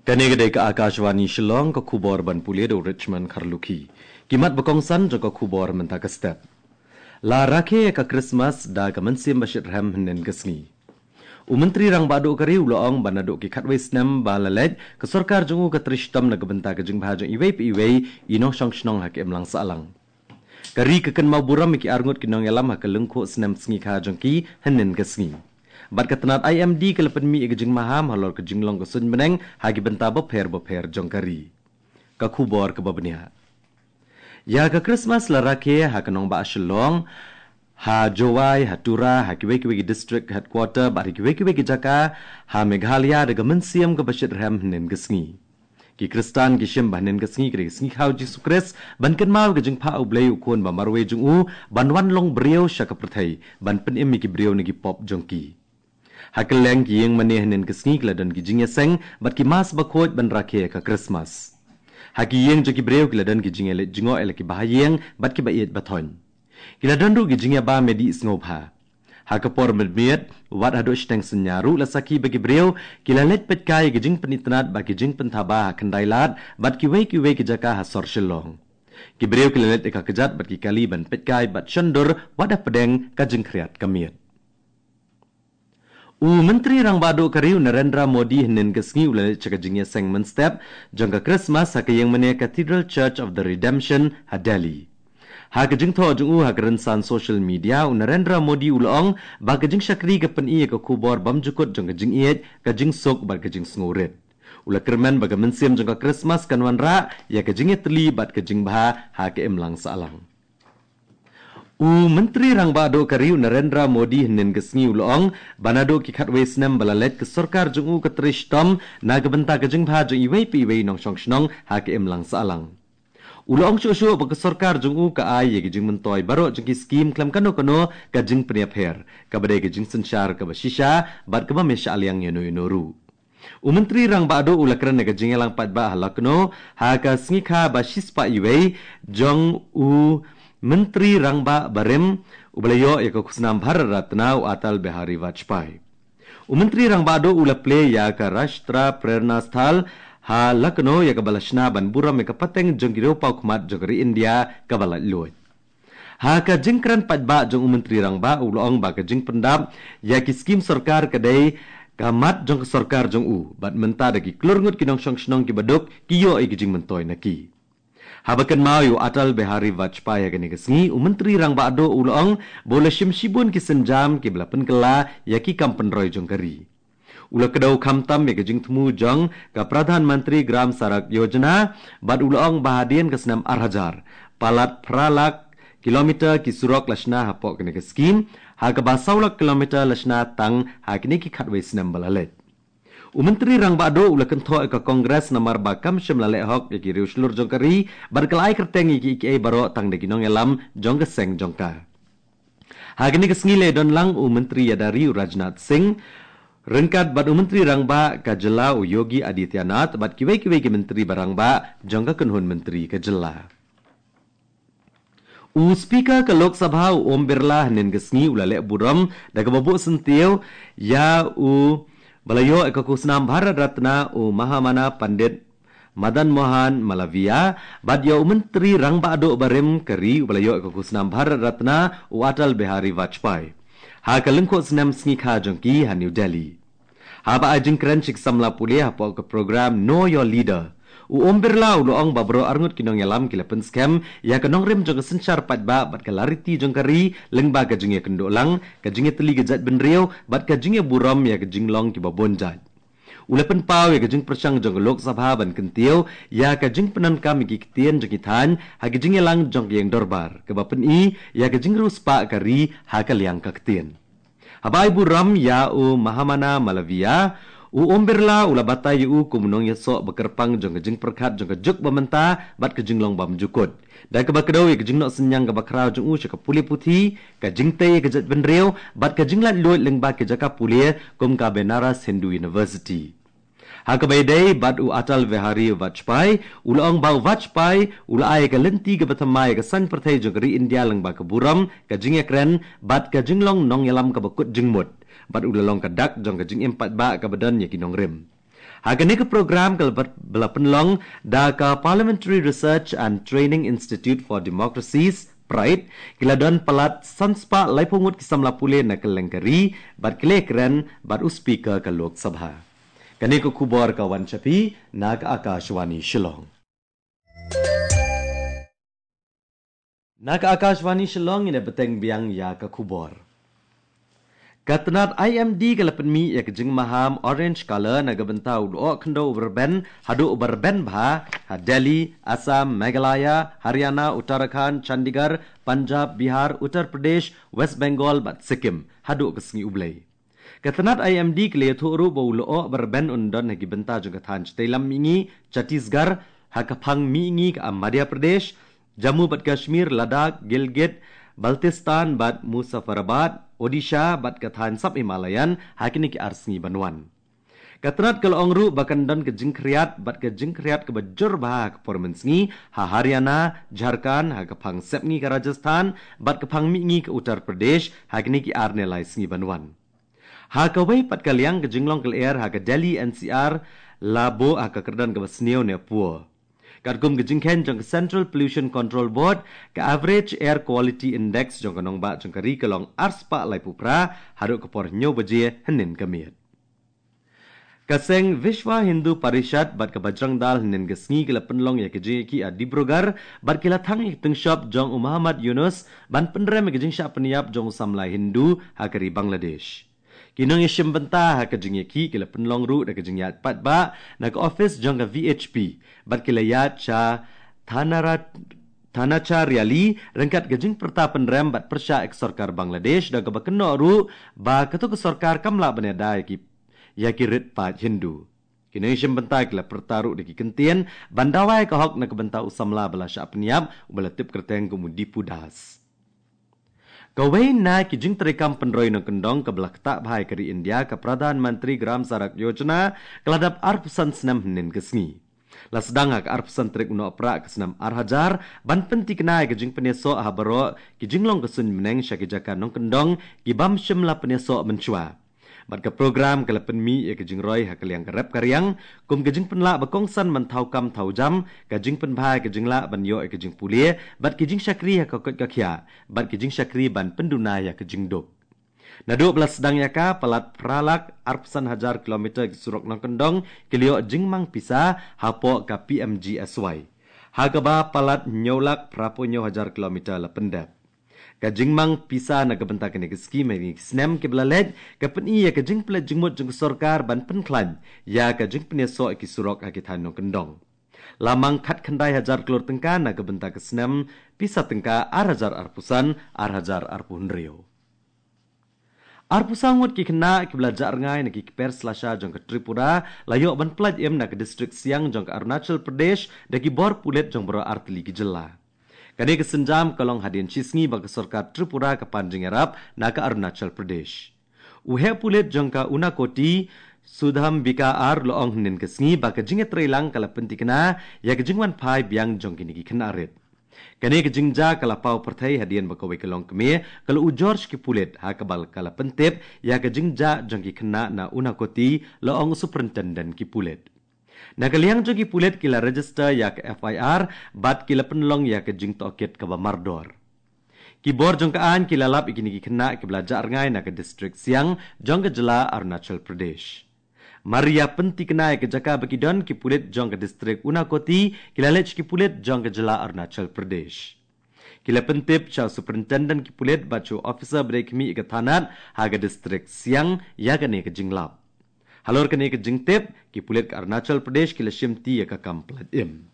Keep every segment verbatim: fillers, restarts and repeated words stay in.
Kane ka dei ka Akashvani Shillong, ka khubor ban pule da u Richmond Kharlukhi. Ki mat ba kongsan jong ka khubor mynta ka step. La rakhe ka Christmas da ka mynsiem ba shitrhem hynnin ka sngi. U Myntri Rangbah Duh ka ri u la ong ba naduh ki khatwei snem ba la leit, ka sorkar jong u ka trei shitom na ka bynta ka jingbha jong iwei pa iwei i nongshong shnong ha ka imlang sahlang. Ka ri ka kynmaw burom ïa ki arngut ki nongïalam ha ka lyngkhuh snem sngikha jong ki hynnin ka sngi. Bad ka tnat I M D ka la pynmih ïa ka jingmaham halor ka jinglong ka suiñ bneng ha ki bynta bapher bapher jong ka ri. Ka khubor kaba bniah. Ïa ka Christmas la rakhe ha ka nongbah Shillong, ha Jowai, ha Tura, ha kiwei kiwei ki district headquarter bad ha kiwei kiwei ki jaka ha Meghalaya da ka mynsiem kaba shitrhem hynnin ka sngi. Ki Khristan ki shim ba hynnin ka sngi ka dei ka sngi kha u Jisu Khrist ban kynmaw ka jingphah u Blei u Khun ba marwei jong u ban wan long briew sha ka pyrthei ban pynim ïa ki briew na ki pop jong ki. Ha kylleng ki ïing mane hynnin ka sngi ki la don ki jingïaseng bad ki mass bakhuid ban rakhe ka Christmas. Ha ki ïing jong ki briew ki la don ki jingïaleit jngoh ïa la ki bahaïing bad ki ba ïeit ba thoiñ. Ki la don ruh ki jingïabam ïadih sngewbha. Ha ka por mynmiet, wat haduh shiteng synñia ruh la sakhi ba ki briew ki la leit peitkai ïa ki jingpynitynnad bad ki jingpynthaba ha Khyndailad bad kiwei kiwei ki jaka ha sor Shillong. Ki briew ki la leit ïa ka kjat bad ki kali ban peitkai bad shondur wat hapdeng ka jingkhriat ka miet. U Myntri Rangbah Duh ka ri u Narendra Modi hynnin ka sngi u la leit sha ka jingïaseng mynstep jong ka Christmas ha ka ïing mane Cathedral Church of the Redemption ha Delhi. Ha ka jingthoh jong u ha ka rynsan social media, u Narendra Modi u la ong ba ka jingshakri ka pyni ïa ka khubor bymjukut jong ka jingïeit, ka jingsuk bad ka jingsngewrit. U la kyrmen ba ka mynsiem jong ka Christmas kan wanrah ïa ka jingïatylli bad ka jingbha ha ka imlang sahlang. U Myntri Rangbah Duh ka ri u Narendra Modi hynnin ka sngi u la ong ba naduh ki khatwei snem ba la leit ka sorkar jong u ka trei shitom na ka bynta ka jingbha jong iwei pa iwei i nongshong shnong ha ka imlang sahlang. U la ong shuh shuh ba ka sorkar jong u ka ai ïa ki jingmyntoi baroh jong ki skim khlem kano kano ka jingpynïapher, kaba dei ka jingsynshar kaba shisha bad kaba mih shah liang ïano ïano ruh. U Myntri Rangbah Duh u la kren ha ka jingïalang paidbah ha Lucknow ha ka sngikha ba shispah iwei jong u Myntri Rangbah barim uba la ïoh ïa ka khusnam Bharat Ratna, u Atal Bihari Vajpayee. U Myntri Rangbah Duh u la plie ïa ka Rashtra Prerna Sthal ha Lucknow, ïa kaba la shna ban burom ïa ka pateng jong ki riewpawkhmat jong ka ri India kaba laitluid. Ha ka jingkren paidbah jong u Myntri Rangbah u la ong ba ka jingpyndap ïa ki skim sorkar ka dei ka mat jong ka sorkar jong u, bad mynta da ki klur ngut ki nongshong shnong kiba duk ki ïoh ïa ki jingmyntoi na ki. Haba kynmaw ïa u Atal Bihari Vajpayee ha kane ka sngi, u Myntri Rangbah Duh u la ong ba u la shim shibun ki sienjam kiba la pynkylla ïa ki kam pynroi jong ka ri. U la kdew khamtam ïa ka jingthmu jong ka Pradhan Mantri Gram Sadak Yojana, bad u la ong ba hadien ka snem ar hajar, palat phra lak kilometer ki surok la shna hapoh kane ka skim, ha kaba saw lak kilometer la shna tang ha kine ki khatwei snem ba la leit. U Myntri Rangbah Duh u la kynthoh ïa ka Congress namar ba kam shym la leh hok ïa ki riewshlur jong ka ri, bad ka la ai kyrteng ïa kiei kiei baroh tang da ki nongïalam jong ka seng jong ka. Ha kane ka sngi la ïadon lang u Myntri Ïada Ri u Rajnath Singh, ryngkat bad u Myntri Rangbah ka jylla u Yogi Adityanath bad kiwei kiwei ki myntri ba rangbah jong ka kynhun myntri ka jylla. U Speaker ka Lok Sabha u Om Birla hynnin ka sngi u la leh burom da kaba buh syntiew ïa u ba la ïoh ïa ka khusnam Bharat Ratna, u Mahamana Pandit Madan Mohan Malaviya, bad ïa u Myntri Rangbah Duh barim ka ri uba la ïoh ïa ka khusnam Bharat Ratna, u Atal Bihari Vajpayee, ha ka lyngkhuh snem sngikha jong ki ha New Delhi. Haba ai jingkren sha ki samla pule hapoh ka program Know Your Leader, u Om Birla u la ong ba baroh arngut ki nongïalam ki la pynskhem ïa ka nongrim jong ka synshar paidbah bad ka lariti jong ka ri lyngba ka jingïakynduh lang, ka jingïatylli ka jaitbynriew bad ka jingïaburom ïa ka jinglong kiba bun jait. U la pynpaw ïa ka jingpyrshang jong ka Lok Sabha ban kyntiew ïa ka jingpyndonkam ïa ki ktien jong ki thaiñ ha ka jingïalang jong ka ïing dorbar, kaba pyni ïa ka jingriewspah ka ri ha ka liang ka ktien. Haba ai burom ïa u Mahamana Malaviya, u Om Birla u la batai ïa u kum u nongïasoh ba kyrpang jong ka jingpyrkhat jong ka juk ba mynta bad ka jinglong bymjukut, da kaba kdew ïa ka jingnoh synñiang kaba khraw jong u sha ka pule puthi, ka jingtei ïa ka jaitbynriew bad ka jinglaitluid lyngba ki jaka pule kum ka Banaras Hindu University. Ha kaba ïadei bad u Atal Bihari Vajpayee, u la ong ba u Vajpayee u la ai ïa ka lynti kaba thymmai ïa ka saiñ pyrthei jong ka ri India lyngba ka burom, ka jingïakren bad ka jinglong nongïalam kaba kut jingmut, bad u la long ka dak jong ka jingim paidbah kaba don ïa ki nongrim. Ha kane ka program ka la pynlong da ka Parliamentary Research and Training Institute for Democracies, PRIDE, ki la don palat san spah laiphew ngut ki samla pule na kylleng ka ri, bad ki la kren bad u Speaker ka Lok Sabha. Kane ka khubor ka wan sha phi na ka Akashvani Shillong. Na ka Akashvani Shillong, ngin ïa bteng biang ïa ka khubor. Ka tnat I M D ka la pynmih ïa ka jingmaham orange color na ka bynta u lyoh khyndew uba rben haduh uba rben bha ha Delhi, Assam, Meghalaya, Haryana, Uttarakhand, Chandigarh, Punjab, Bihar, Uttar Pradesh, West Bengal bad Sikkim haduh ka sngi U Blei. Ka tnat I M D ka la ïathuh ruh ba u lyoh ba rben un don ha ki bynta jong ka thaiñ shatei lam mihngi Chhattisgarh, ha ka phang mihngi ka Madhya Pradesh, Jammu bad Kashmir, Ladakh, Gilgit, Baltistan bad Muzaffarabad, Odisha bad ka thaiñ sub Himalayan ha kine ki ar sngi ban wan. Ka tnat ka la ong ruh ba kan don ka jingkhriat bad ka jingkhriat kaba jur bha ha ka por mynsngi ha Haryana, Jharkhand, ha ka phang sepngi ka Rajasthan bad ka phang mihngi ka Uttar Pradesh ha kine ki ar ne lai sngi ban wan. Ha kawei pat ka liang, ka jinglong ka lyer ha ka Delhi N C R la buh ha ka kyrdan kaba sniew ne poor. Katkum ka jingkheiñ jong ka Central Pollution Control Board, ka average air quality index jong ka nongbah jong ka ri ka long ar spah laiphew phra haduh ka por hynñiew baje hynnin ka miet. Ka seng Vishwa Hindu Parishad bad ka Bajrang Dal hynnin ka sngi ki la pynlong ïa ka jingïakhih ha Dibrugarh bad ki la thang ïa ka tyngshop jong u Muhammad Yunus ban pynrem ïa ka jingshah pynïap jong u samla Hindu ha ka ri Bangladesh. Ki nongïashim bynta ha ka jingïakhih ki la pynlong ruh da ka jingïaid paidbah na ka office jong ka V H P bad ki la ïaid sha Thanara-, Thanacharyalee ryngkat ka jingpyrta pynrem bad pyrshah ïa ka sorkar Bangladesh, da kaba kynnoh ruh ba kato ka sorkar kam lah ban ïada ïa ki, ïa ki rit paid Hindu. Ki nongïashim bynta ki la pyrta ruh da ki kyntien ban dawa ïa ka hok na ka bynta u samla ba la shah pynïap uba la tip kyrteng kum u Dipu Das. Kawei na ki jingtreikam pynroi nongkyndong kaba la ktah bha ïa ka ri India, ka Pradhan Mantri Gram Sadak Yojana, ka la dap arphew san snem hynnin ka sngi. La sdang ha ka arphew san tarik u Nohprah ka snem ar hajar ban pyntikna ïa ka jingpynïasoh ha baroh ki jinglong ka suiñ bneng sha ki jaka nongkyndong ki bym shym la pynïasoh mynshuwa. Bad ka program ka la pynmih ïa ka jingroi ha ka liang ka rep ka riang kum ka jingpynlah ba kongsan ban thaw kam thaw jam, ka jingpynbha ïa ka jinglah ban ïoh ïa ka jingpule bad ka jingshakri ha ka koit ka khiah bad ka jingshakri ban pynduna ïa ka jingduk. Naduh ba la sdang ïa ka, palat phra lak arphew san hajar kilometer ki surok nongkyndong ki la ïoh jingmang pisa hapoh ka P M G S Y, ha kaba palat hynñiew lak phraphew hynñiew hajar kilometer la pyndep. Ka jingmang pisa na ka bynta kane ka skim ha kine ki snem kiba la leit ka pyni ïa ka jingpynleit jingmut jong ka sorkar ban pynkhlaiñ ïa ka jingpynïasoh ïa ki surok ha ki thaiñ nongkyndong. La mang khatkhyndai hajar klur tyngka na ka bynta ka snem pisa tyngka ar hajar arphew san, ar hajar arphew hynriew. Arphew saw ngut ki khynnah kiba la jah rngai na ki kper slasha jong ka Tripura la ïoh ban pyllait im na ka distrik Siang jong ka Arunachal Pradesh da ki bor pulit jong baroh artylli ki jylla. Kane ka sienjam ka long hadien shisngi ba ka sorkar Tripura ka pan jingïarap na ka Arunachal Pradesh. U heh pulit jong ka Unakoti, Sudhambika R, la ong hynnin ka sngi ba ka jingïatreilang ka la pyntikna ïa ka jingwan phai biang jong kine ki khynnah rit. Kane ka jingjia ka la paw pyrthei hadien ba kawei ka longkmie ka la ujor sha ki pulit, ha kaba ka la pyntip ïa ka jingjia jong ki khynnah na Unakoti, la ong u superintendent ki pulit. Na ka liang jong ki pulit ki la register ïa ka F I R bad ki la pynlong ïa ka jingtohkit kaba mardor. Ki bor jong ka aiñ ki la lap ïa kine ki khynnah kiba la jah rngai na ka distrik Siang jong ka jylla Arunachal Pradesh. Mar ïa pyntikna ïa ka jaka ba ki don, ki pulit jong ka distrik Unakoti ki la leit sha ki pulit jong ka jylla Arunachal Pradesh. Ki la pyntip sha u superintendent ki pulit bad sha u officer ba dei khmih ïa ka thanat ha ka distrik Siang ïa kane ka jinglap. Halor kane ka jingtip, ki pulit ka Arunachal Pradesh ki la shimti ïa ka kam pyllait im.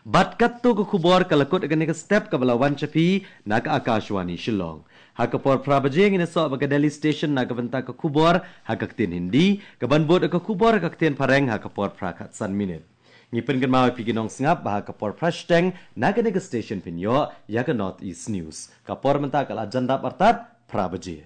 Bad katto ka khubor ka la kut ïa kane ka step kaba la wan sha phi na ka Akashvani Shillong. Ha ka por phra baje ngin ïasoh bad ka Delhi Station na ka bynta ka khubor ha ka ktien Hindi, kaban bud ka khubor ha ka ktien Phareng ha ka por phra khatsan minit. Ngi pynkynmaw ïa phi ki nongsngap ba ha ka por phra shiteng na kane ka station phin ïoh ïa ka North East News. Ka por mynta ka la jan dap artat phra baje.